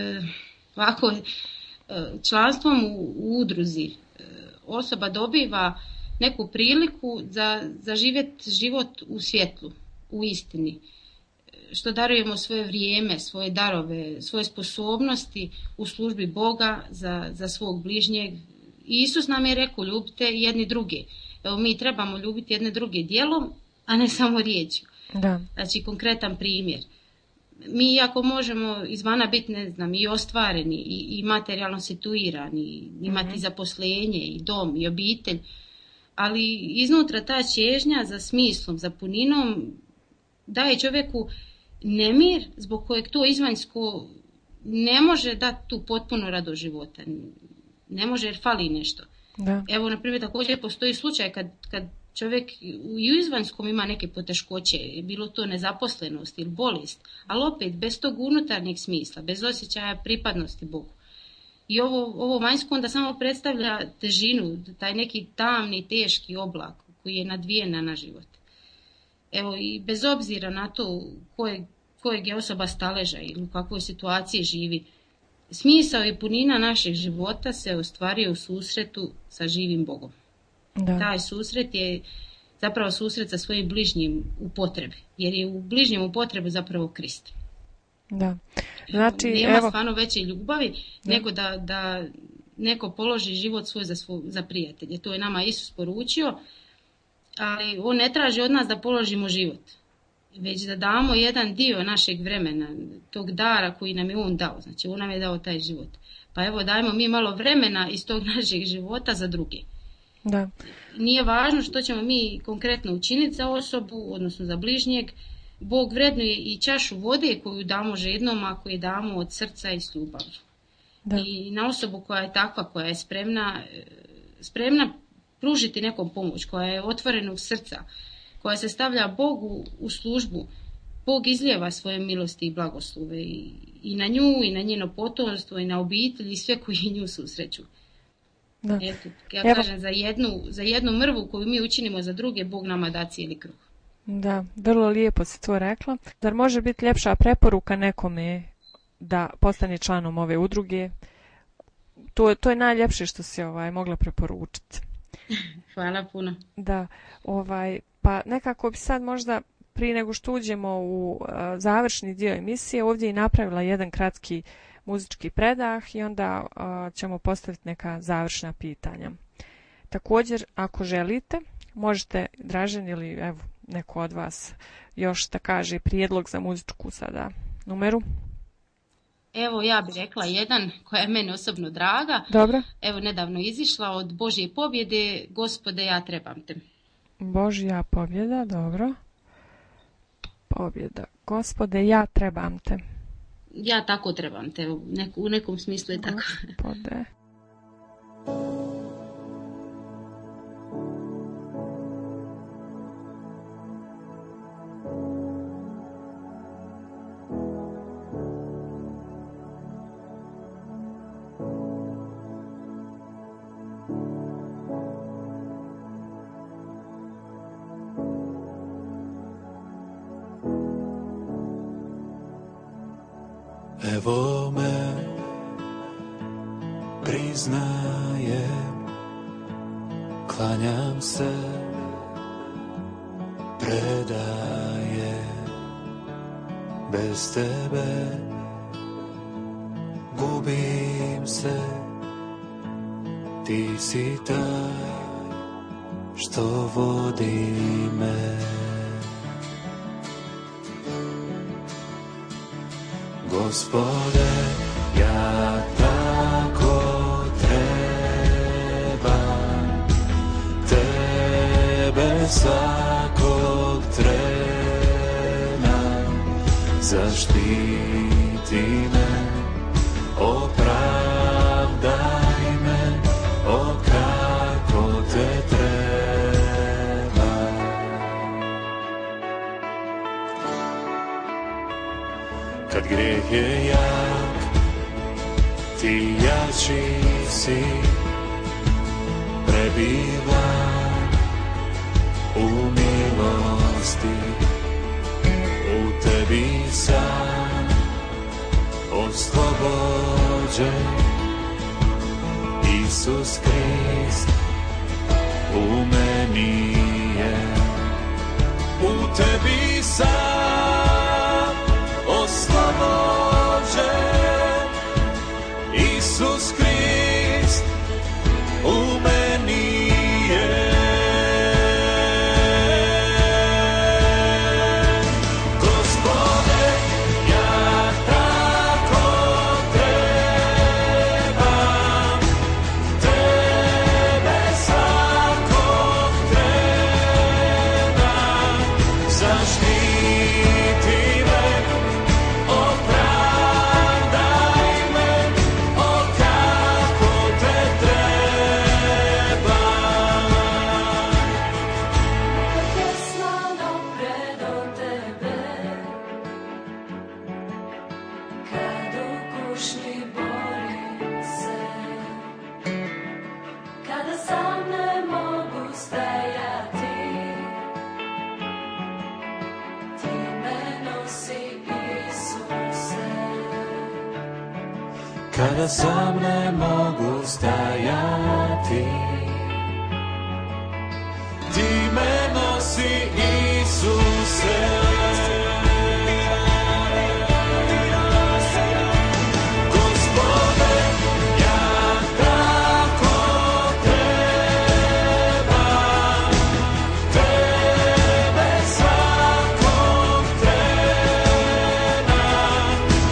ovako, članstvom u udruzi osoba dobiva neku priliku za živjeti život u svjetlu, u istini, što darujemo svoje vrijeme, svoje darove, svoje sposobnosti u službi Boga za svog bližnjeg. Isus nam je rekao, ljubite jedni druge. Evo, mi trebamo ljubiti jedne druge djelom, a ne samo riječju. Da. Znači, konkretan primjer. Mi iako možemo izvana biti, ne znam, i ostvareni i materijalno situirani, imati zaposlenje i dom i obitelj, ali iznutra ta čežnja za smislom, za puninom daje čovjeku nemir zbog kojeg to izvanjsko ne može dati tu potpuno radost života. Ne može jer fali nešto. Da. Evo, na primjer, također postoji slučaj kad čovjek u izvanjskom ima neke poteškoće, bilo to nezaposlenost ili bolest, ali opet bez tog unutarnjeg smisla, bez osjećaja pripadnosti Bogu. I ovo vanjsko onda samo predstavlja težinu, taj neki tamni, teški oblak koji je nadvijen na život. Evo, i bez obzira na to kojeg je osoba staleža ili u kakvoj situaciji živi, smisao i punina našeg života se ostvaruje u susretu sa živim Bogom. Da. Taj susret je zapravo susret sa svojim bližnjim u potrebi, jer je u bližnjem u potrebi zapravo Krist. Da. Znači, nema stvarno veće ljubavi nego da neko položi život svoj za prijatelje. To je nama Isus poručio, ali on ne traži od nas da položimo život, već da damo jedan dio našeg vremena, tog dara koji nam je on dao. Znači, on nam je dao taj život. Pa evo, dajmo mi malo vremena iz tog našeg života za druge. Da. Nije važno što ćemo mi konkretno učiniti za osobu, odnosno za bližnjeg. Bog vrednuje i čašu vode koju damo žednom, ako je damo od srca i s ljubavlju. I na osobu koja je takva, koja je spremna pružiti nekom pomoć, koja je otvorenog srca, koja se stavlja Bogu u službu, Bog izlijeva svoje milosti i blagoslove i na nju, i na njeno potomstvo, i na obitelj, i sve koji nju susreću. Da. Eto, ja kažem, za jednu mrvu koju mi učinimo za druge, Bog nama da cijeli kruh. Da, vrlo lijepo si to rekla. Zar može biti ljepša preporuka nekome da postane članom ove udruge? To je najljepše što si mogla preporučiti. Hvala puno. Da, pa nekako bi sad možda prije nego što uđemo u završni dio emisije ovdje i napravila jedan kratki muzički predah i onda ćemo postaviti neka završna pitanja. Također, ako želite, možete, Dražen ili evo neko od vas još da kaže prijedlog za muzičku sada numeru. Evo, ja bih rekla jedan koja je meni osobno draga. Dobro. Evo, nedavno izišla od Božje pobjede, Gospode, ja trebam te. Božja pobjeda, dobro. Pobjeda, Gospode, ja trebam te. Ja tako trebam te, u nekom smislu je tako. Gospode. Evo me, priznajem, klanjam se, predajem, bez tebe gubim se, ti si taj što vodi me. Gospode, ja tako trebam tebe svakog trena, zaštiti me, opravdaj me, o kako te treba. Kad grijeh je jak, ti jači si, prebivam u milosti, u tebi sam dođe, Isus Krist u meni je. U tebi sam oslobođen, Isus Krist u meni je. Gospode, ja tako trebam, tebe svakog trebam, zaštiti me, opravdaj me, o kako te trebam. Kad je slavno predo tebe, kad u kušnji borim se, kada sam ne mogu stajati, ti me nosi, Isuse. Kada sam ne mogu stajati, ti me nosi, Isuse. Gospode, ja tako trebam, tebe svakog trebam,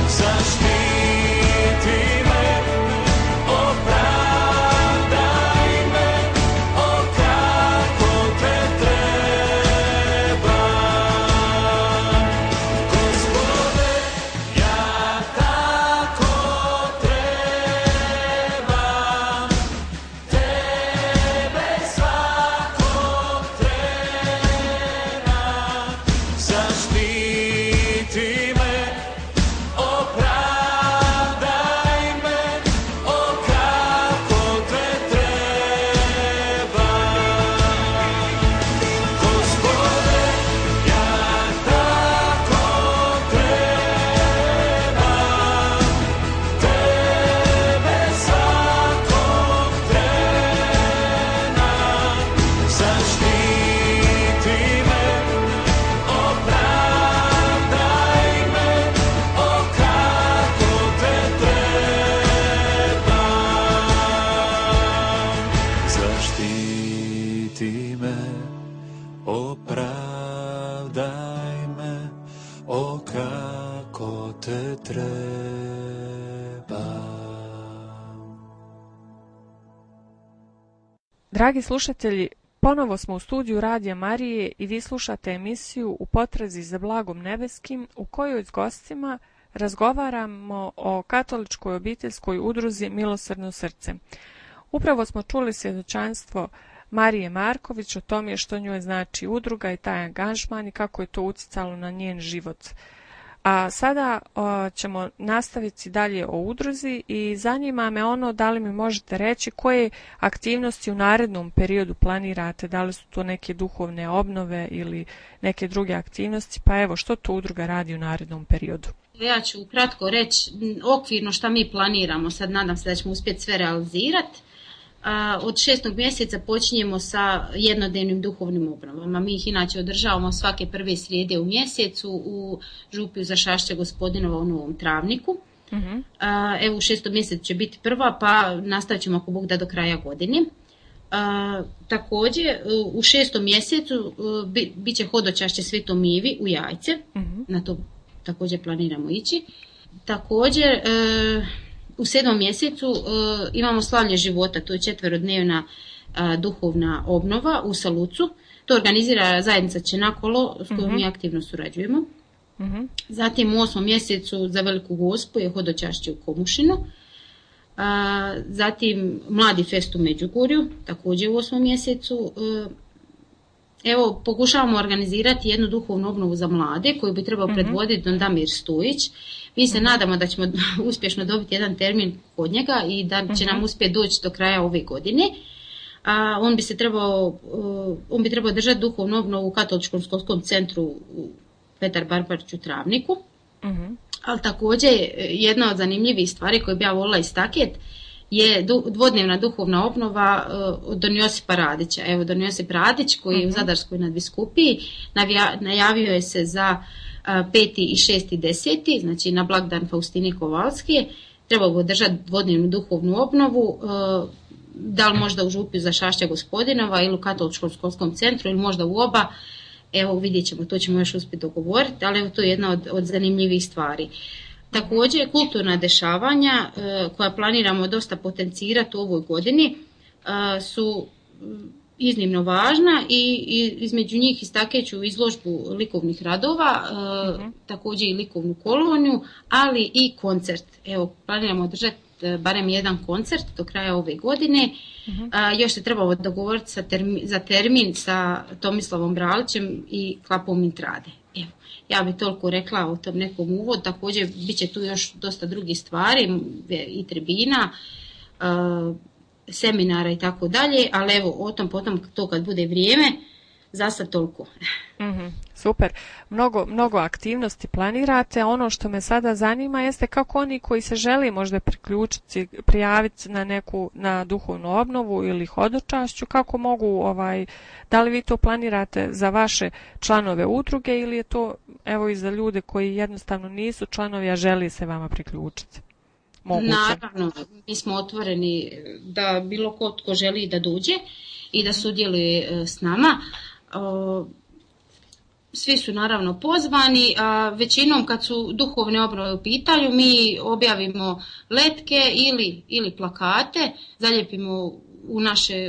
zaštiti me, opravdaj me, o kako te trebam. Gospode, ja tako trebam, tebe svakog trebam, zaštiti me, opravdaj me, o kako te trebam. Gospode, ja tako trebam, tebe svakog trebam, zaštiti me, opravdaj me, o kako te trebam, zaštiti me, opravdaj me, o kako te trebam. Dragi slušatelji, ponovo smo u studiju Radija Marije i vi slušate emisiju U potrazi za blagom nebeskim, u kojoj s gostima razgovaramo o katoličkoj obiteljskoj udruzi Milosrdno srce. Upravo smo čuli svjedočanstvo Marije Marković o tome što njoj znači udruga i taj angažman i kako je to utjecalo na njen život. A sada ćemo nastaviti dalje o udruzi i zanima me ono da li mi možete reći koje aktivnosti u narednom periodu planirate, da li su to neke duhovne obnove ili neke druge aktivnosti, pa evo što to udruga radi u narednom periodu. Ja ću ukratko reći okvirno šta mi planiramo, sad nadam se da ćemo uspjeti sve realizirati. Od 6. mjeseca počinjemo sa jednodnevnim duhovnim obnovama. Mi ih inače održavamo svake prve srijede u mjesecu u župiju za Šašće Gospodinova u Novom Travniku. Evo u 6. mjesecu će biti prva, pa nastavit ćemo ako Bog da do kraja godine. Također u 6. mjesecu bit će hodočašće Svetom Ivi u Jajce. Na to također planiramo ići. Također u 7. mjesecu imamo slavlje života, to je 4-dnevna duhovna obnova u Salucu. To organizira zajednica Čenakolo s kojom mi aktivno surađujemo. Zatim u 8. mjesecu za Veliku Gospu je hodočašće u Komušinu. Zatim Mladi fest u Međugorju, također u 8. mjesecu. Evo, pokušavamo organizirati jednu duhovnu obnovu za mlade koju bi trebao predvoditi Don Damir Stojić. Mi se nadamo da ćemo uspješno dobiti jedan termin kod njega i da će nam uspjeti doći do kraja ove godine. On bi trebao držati duhovnu obnovu u Katoličkom školskom centru u Petar Barbarić u Travniku. Ali također jedna od zanimljivih stvari koju bi ja volila istaknuti je dvodnevna duhovna obnova Don Josipa Radića. Evo, Don Josip Radić koji je u Zadarskoj nadbiskupiji najavio je se za 5. i 6. 10. znači na blagdan Faustine Kovalske. Trebao bi održati dvodnevnu duhovnu obnovu, da li možda u župi za Šašća Gospodinova ili u katoličkom školskom centru ili možda u oba. Evo, vidjet ćemo, to ćemo još uspjeti dogovoriti, ali evo, to je jedna od zanimljivih stvari. Također, kulturna dešavanja koja planiramo dosta potencirati u ovoj godini su iznimno važna i između njih istakću izložbu likovnih radova, također i likovnu koloniju, ali i koncert. Evo, planiramo održati barem jedan koncert do kraja ove godine. Još se trebalo dogovoriti za termin sa Tomislavom Bralićem i Klapom Intrade. Evo, ja bih toliko rekla o tom nekom uvodu. Također bit će tu još dosta drugih stvari i tribina, seminara i tako dalje, ali evo o tom potom to kad bude vrijeme. Za sad toliko. Super. Mnogo aktivnosti planirate. Ono što me sada zanima jeste kako oni koji se želi možda priključiti, prijaviti na duhovnu obnovu ili hodočašću, kako mogu, da li vi to planirate za vaše članove udruge ili je to evo i za ljude koji jednostavno nisu članovi, a želi se vama priključiti? Moguće. Naravno, mi smo otvoreni da bilo tko želi da dođe i da sudjeluje s nama. Svi su naravno pozvani, a većinom kad su duhovne obnove u pitanju mi objavimo letke ili plakate, zalijepimo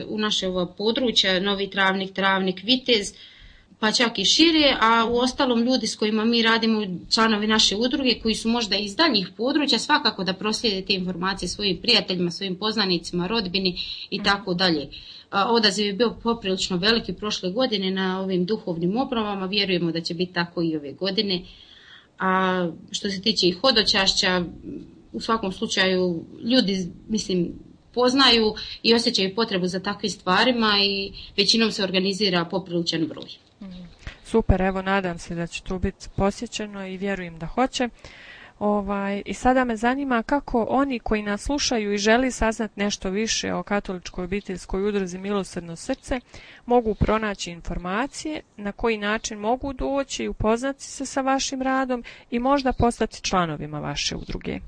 u naše područja, Novi Travnik, Vitez, pa čak i šire, a u ostalom ljudi s kojima mi radimo, članovi naše udruge koji su možda iz daljnjih područja, svakako da proslijede te informacije svojim prijateljima, svojim poznanicima, rodbini i tako dalje. Odaziv je bio poprilično veliki prošle godine na ovim duhovnim obnovama, vjerujemo da će biti tako i ove godine. A što se tiče i hodočašća, u svakom slučaju ljudi, poznaju i osjećaju potrebu za takvim stvarima i većinom se organizira popriličan broj. Super, evo nadam se da će to biti posjećeno i vjerujem da hoće. I sada me zanima kako oni koji nas slušaju i želi saznati nešto više o katoličkoj obiteljskoj udruzi Milosrdno srce mogu pronaći informacije, na koji način mogu doći i upoznati se sa vašim radom i možda postati članovima vaše udruge.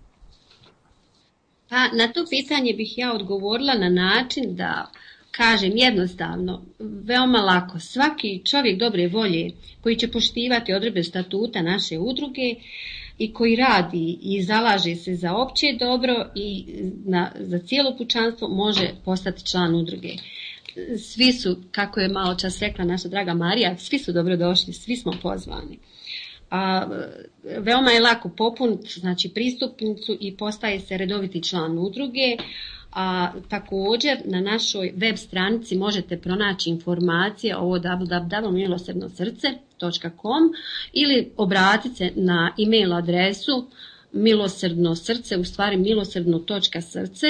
Pa na to pitanje bih ja odgovorila na način da kažem jednostavno, veoma lako, svaki čovjek dobre volje koji će poštivati odredbe statuta naše udruge i koji radi i zalaže se za opće dobro i za cijelo pučanstvo može postati član udruge. Svi su, kako je malo čas rekla naša draga Marija, svi su dobrodošli, svi smo pozvani. Veoma je lako popuniti, znači, pristupnicu i postaje se redoviti član udruge. Također na našoj web stranici možete pronaći informacije o www.milosrdnosrce.com ili obratite se na e-mail adresu milosrdnosrce, u stvari milosrdno.srce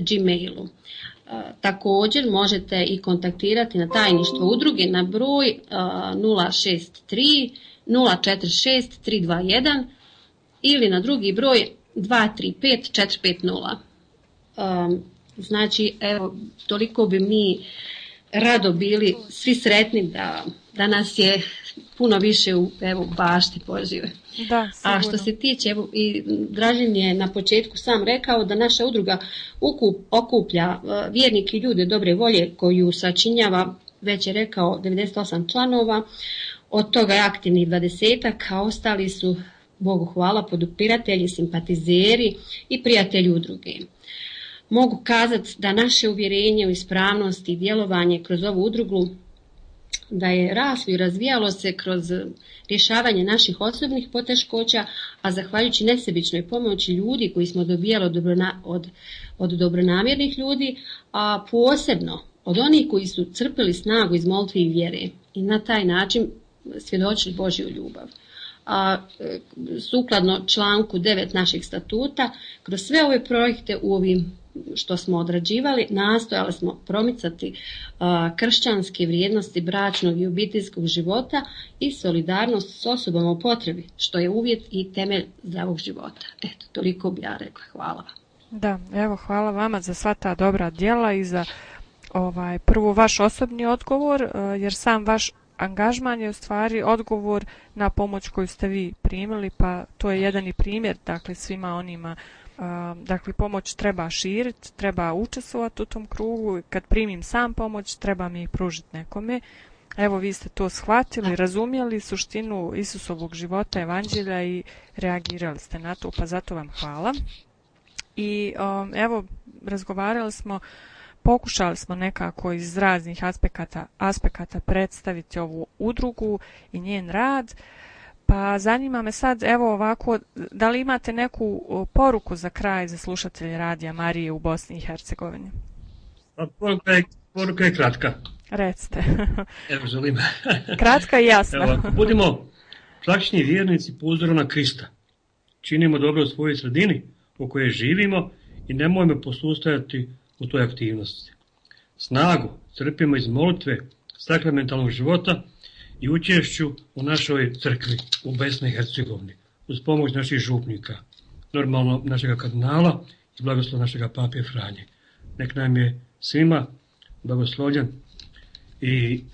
@gmailu. Također možete i kontaktirati na tajništvo udruge na broj 063 046 321 ili na drugi broj 235 450. Znači, evo, toliko bi mi rado bili svi sretni da nas je puno više u bašti Božjoj. A što se tiče, evo, i Dražin je na početku sam rekao da naša udruga okuplja vjernike i ljude dobre volje koju sačinjava, već je rekao, 98 članova, od toga je aktivnih 20-ak, a ostali su, Bogu hvala, podupiratelji, simpatizeri i prijatelji udruge. Mogu kazati da naše uvjerenje u ispravnost i djelovanje kroz ovu udrugu da je raslo i razvijalo se kroz rješavanje naših osobnih poteškoća, a zahvaljujući nesebičnoj pomoći ljudi koji smo dobijali od dobronamjernih ljudi, a posebno od onih koji su crpili snagu iz molitve i vjere i na taj način svjedočili Božju ljubav. sukladno članku 9 naših statuta, kroz sve ove projekte u ovim što smo odrađivali, nastojali smo promicati kršćanske vrijednosti bračnog i obiteljskog života i solidarnost s osobama u potrebi, što je uvjet i temelj zdravog života. Eto, toliko bi ja rekla. Hvala vam. Da, evo, hvala vama za sva ta dobra djela i za prvo vaš osobni odgovor, jer sam vaš angažman je u stvari odgovor na pomoć koju ste vi primili, pa to je jedan i primjer, dakle, svima onima. Dakle, pomoć treba širiti, treba učestvovati u tom krugu. Kad primim sam pomoć, treba mi pružiti nekome. Evo, vi ste to shvatili, razumjeli suštinu Isusovog života, evanđelja i reagirali ste na to, pa zato vam hvala. I evo, razgovarali smo, pokušali smo nekako iz raznih aspekata predstaviti ovu udrugu i njen rad. Pa zanima me sad, evo ovako, da li imate neku poruku za kraj za slušatelje Radija Marije u Bosni i Hercegovini? Poruka je kratka. Recite. Evo, želim. Kratka i jasna. Evo, ako budemo praktični vjernici po uzoru na Krista, činimo dobro u svojoj sredini u kojoj živimo i nemojmo posustajati u toj aktivnosti. Snagu crpimo iz molitve, sakramentalnog života i učešću u našoj crkvi u Bosni i Hercegovini, uz pomoć naših župnika, normalno našega kardinala i blagoslov našega pape Franje. Nek nam je svima blagoslovljen i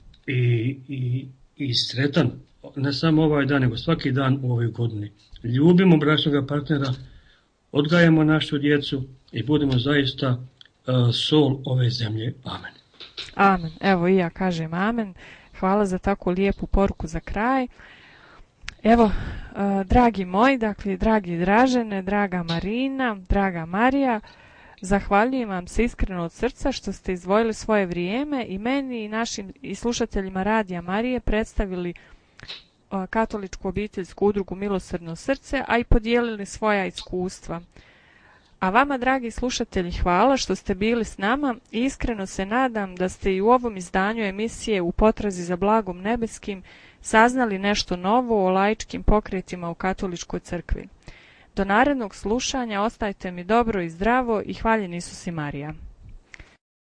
sretan, ne samo ovaj dan, nego svaki dan u ovoj godini. Ljubimo bračnog partnera, odgajamo našu djecu i budemo zaista sol ove zemlje. Amen. Amen. Evo i ja kažem amen. Hvala za tako lijepu poruku za kraj. Evo, dragi moji, dakle, dragi Dražene, draga Marina, draga Marija, zahvaljujem vam se iskreno od srca što ste izdvojili svoje vrijeme i meni i našim i slušateljima Radija Marije predstavili katoličku obiteljsku udrugu Milosrdno srce, a i podijelili svoja iskustva. A vama, dragi slušatelji, hvala što ste bili s nama i iskreno se nadam da ste i u ovom izdanju emisije U potrazi za blagom nebeskim saznali nešto novo o laičkim pokretima u katoličkoj crkvi. Do narednog slušanja ostajte mi dobro i zdravo i hvaljen Isus i Marija.